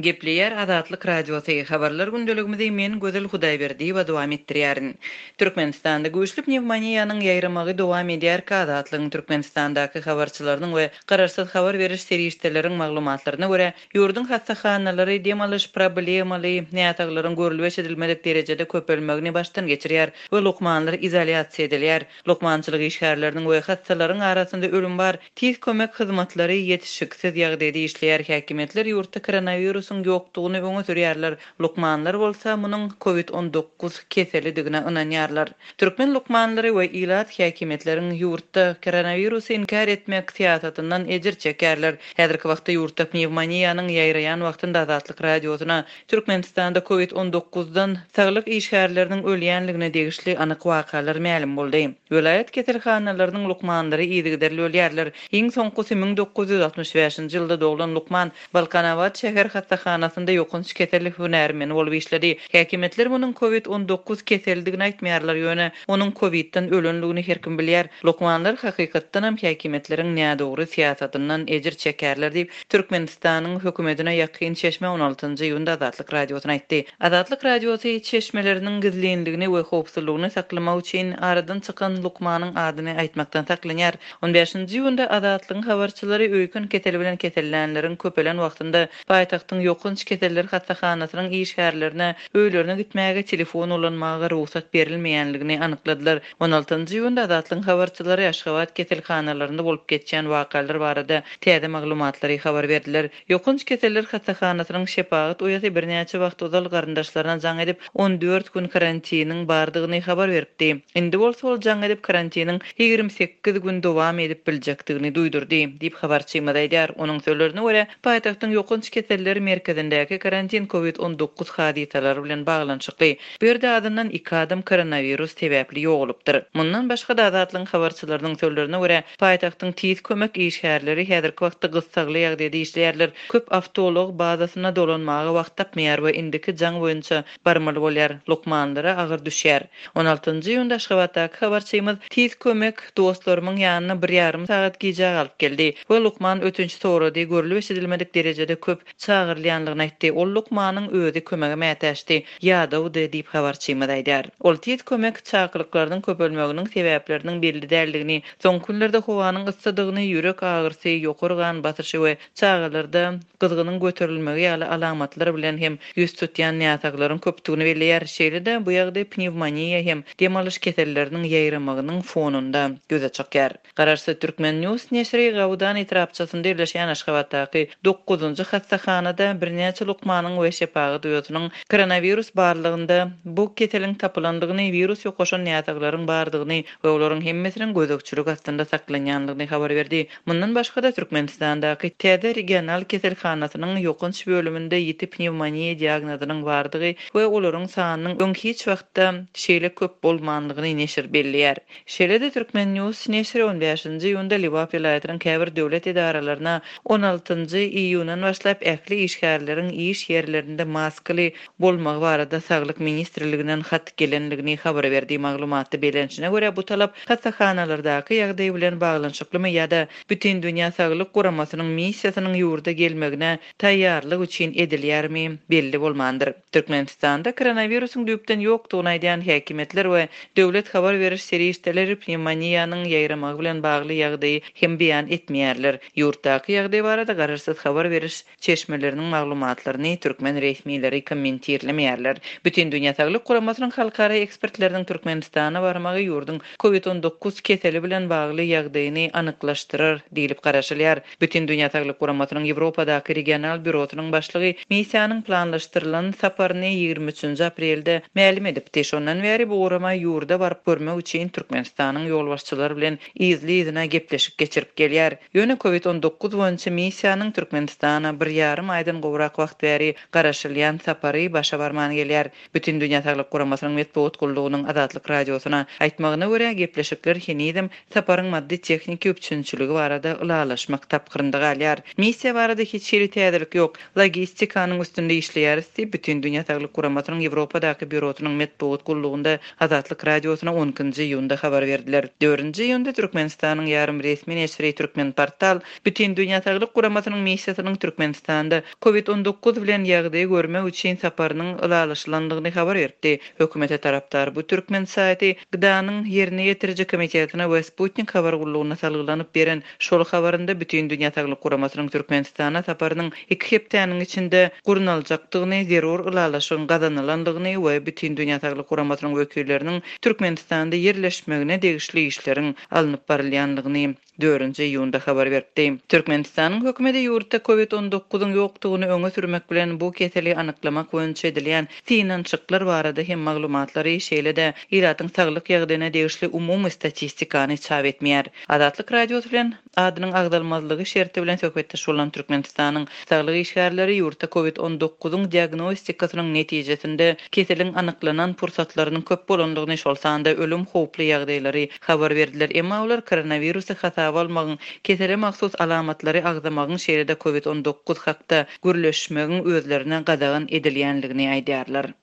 Gepleýär Azatlyk Radiosy, Habarlar gündeligimizi men Gözel Hudaýberdiýewa dowam etdirýärin. Türkmenistanda güýçli pnewmoniýanyň ýaýramagy dowam edýärkä Azatlygyň Türkmenistandaky habarçylarynyň we garaşsyz habar beriş serişdeleriň maglumatlaryna görä, ýurduň hassahanalary dem alyş problemaly näsaglaryň görlüp-eşidilmedik derejede köpelmegini başdan geçirýär we lukmanlar izolýasiýa edilýär. Lukmançylyk işgärleriniň we hassalaryň arasynda ölüm bar. Tiz kömek hyzmatlary ýetişiksiz ýagdaýda işleýär, häkimiýetler ýurtda koronawirusyň ýokdugyny öňe sürýärler, lukmanlar bolsa munuň covid 19 keselidigine ynanýarlar. Türkmen lukmanlary we ilat häkimiýetleriň ýurtda koronawirusy inkär etmek syýasatyndan ejir çekýärler. Häzirki wagtda ýurtda pnewmoniýanyň ýaýraýan wagtynda Azatlyk Radiosyna Türkmenistanda covid 19-dan saglyk işgärleriniň ölýänligine degişli anyk wakalar mälim boldy. Welaýat keselhanalarynyň lukmanlary yzygiderli ölýärler. Iň soňkusy 1965-nji ýylda doglan lukman Balkanabat şäher hassahanasynda ýokanç kesel hünärmeni bolup işledi. Häkimiýetler munuň covid 19 keselidigini aýtmaýarlar, ýöne onuň covid-den ölenligini her kim bilýär. Lukmanlar hakykatdanam häkimiýetleriň nädogry syýasatyndan ejir çekýärler diýip, Türkmenistanyň hökümetine ýakyn çeşme on altynjy iýunda Azatlyk Radiosyna aýtdy. Azatlyk Radiosy çeşmeleriniň gizlinligini we howpsuzlygyny saklamak üçin aradan çykan lukmanyň adyny aýtmakdan saklanýar. On bäşinji iýunda Azatlygyň habarçylary öýken keseli bilen kesellänleriň köpelen wagtynda paýtagtyň ýokanç keseller hassahanasynyň işgärlerine öýlerine gitmäge telefon ulanmaga rugsat berilmeýänligini anykladylar. On altynjy iýunda Azatlygyň habarçylary Aşgabat keselhanalarynda bolup geçýän wakalar barada täze maglumatlary habar berdiler. Ýokanç keseller hassahanasynyň şepagat uýasy birnäçe wagt ozal garyndaşlaryna jaň edip, 14 gün karantiniň bardygyny habar beripdi. Indi bolsa ol jaň edip, karantiniň 28 gün dowam edip biljekdigini duýdurdy, diýip, habarçymyz aýdýar. Onuň sözlerine görä, paýtagtyň ýokanç keseller merkezindäki karantin covid 19 hadysalary bilen baglanyşykly. Bu ýerde azyndan iki adam koronawirus sebäpli ýogalypdyr. Mundan başga-da, Azatlygyň habarçylarynyň sözlerine görä, Paýtagtyň tiz kömek işgärleri häzirki wagtda gyssagly ýagdaýda işleýärler. Köp awtoulag bazasyna dolanmaga wagt tapmaýar we indiki jaň boýunça barmaly bolýar. Lukmanlara agyr düşýär. On altynjy iýunda Aşgabatdaky habarçymyz tiz kömek dostlarymyň ýanyna bir ýarym sagat gijä galyp geldi we lukman ötünç sorady, görlüp-eşidilmedik derejede köp çagyrylýanlygyny aýtdy. Ol lukmanyň özi kömege mätäçdi, ýadawdy diýip, habarçymyz aýdýar. Ol tiz kömek çakylyklarynyň köpelmeginiň sebäpleriniň belli däldigini, soňky günlerde howanyň yssydygyny, ýürek agyrysy, ýokary gan basyşy we çagalarda gyzgynyň göterilmegi ýaly alamatlar bilen hem ýüz tutýan näsaglaryň köpdügini belleýär. Şeýle-de, bu ýagdaý pnewmoniýa hem dem alyş keselleriniň ýaýramagynyň fonunda ýüze çykýar. Garaşsyz Türkmen News neşiri Gawudan etrapçasynda ýerleşýän Aşgabatdaky dokuzynjy hassahanada birnäçe lukmanyň we şepagat uýasynyň koronawirus barlagynda bu keseliň tapylandygyny, wirus ýokaşan näsaglaryň bardygyny we olaryň hemmesiniň gözegçilik astynda saklanýandygyny habar berdi. Mundan başga-da, Türkmenistandaky täze regional keselhanasynyň ýokanç bölüminde ýiti pnewmoniýa diagnozynyň bardygy we olaryň sanynyň öň hiç wagtda şeýle köp bolmandygyny neşir belleýär. Şeýle-de Turkmen. News neşiri on bäşinji iýunda Lebap welaýatynyň käbir döwlet edaralaryna on altynjy iýundan başlap ähli işgärleriň iş ýerlerinde maskaly bolmagy barada Saglyk ministrliginden hat gelendigini habar berdi. Maglumatda bellenişine görä, bu talap hassahanalardaky ýagdaý bilen baglanyşyklymy ýa-da Bütindünýä saglyk guramasynyň missiýasynyň ýurda gelmegine taýýarlyk üçin edilýärmi, belli bolmandyr. Türkmenistanda koronawirusyň düýpden ýokdugyny aýdýan häkimiýetler we döwlet habar beriş serişdeleri pnewmoniýanyň ýaýramagy bilen bagly ýagdaýy hem beýan etmeýärler. Ýurtdaky ýagdaý barada garaşsyz habar beriş çeşmeleriniň maglumatlaryny türkmen resmileri kommentirlemeýärler. Bütindünýä saglyk guramasynyň halkara ekspertleriniň Türkmenistana barmagy ýurduň Covid 19 keseli bilen bagly ýagdaýyny anyklaşdyrar diýlip garaşylýar. Bütindünýä Saglyk Guramasynyň Ýewropadaky regional býurosynyň başlygy missiýanyň planlaşdyrylan saparyny 23-nji aprelde mälim edipdi. Şondan bäri bu gurama ýurda baryp görmek üçin Türkmenistanyň ýolbaşçylary bilen yzly-yzyna gepleşik geçirip gelýär. Ýöne Covid 19 boýunça missiýanyň Türkmenistana bir ýarym aýdan gowrak wagt bäri garaşylýan sapary başa barman gelýär. Bütindünýä Saglyk Guramasynyň metbugat gullugynyň Azatlyk Radiosyna aýtmagyna görä, gepleşikler henizem saparyň maddy-tehniki üpjünçiligi barada ylalaşmak tapgyrynda galýar. Missiýa barada hiç hili täzelik ýok. Logistikanyň üstünde işleýäris diýip, Bütindünýä Saglyk Guramasynyň Ýewropadaky býurosynyň metbugat gullugynda Azatlyk Radiosyna on ikinji iýunda habar berdiler. Dördünji iýunda Türkmenistanyň ýarym resmi neşiri Türkmenportal Bütindünýä Saglyk Guramasynyň missiýasynyň Türkmenistanda. Covid 19 bilen ýagdaýy görmek üçin saparynyň ylalaşylandygyny habar beripdi. Hökümete tarapdar bu türkmen saýty GDA-nyň Ýerine ýetiriji komitetine we Sputnik habar gullugyna salgylanyp beren şol habarynda Bütindünýä Saglyk Guramasynyň Türkmenistana saparynyň iki hepdäniň içinde gurnaljakdygyny, zerur ylalaşygyň gazanylandygyny we Bütindünýä Saglyk Guramasynyň wekilleriniň Türkmenistanda ýerleşmegine degişli işleriň alnyp barylýandygyny dördünji iýunda habar beripdi. Türkmenistanyň hökümeti ýurtda Covid 19 yň ýokdugyny öňe sürmek bilen, bu keseli anyklamak boýunça edilýän synanyşyklar barada hem maglumatlary, şeýle-de ilatyň saglyk ýagdaýyna degişli umumy statistikany çap etmeýär. Azatlyk Radiosy bilen adynyň agzalmazlygy şerti bilen söhbetdeş bolan Türkmenistanyň saglyk işgärleri ýurtda Covid 19 yň diagnostikasynyň netijesinde keseliň anyklanan pursatlarynyň köp bolandygyny, şol sanda ölüm howply ýagdaýlary habar berdiler. Emma olar koronawirusy hasaba almagyň, kesele mahsus alamatlary agzamagyň, şeýle-de Covid 19 hakda gürleşmegiň özlerine gadagan edilýänligini aýdýarlar.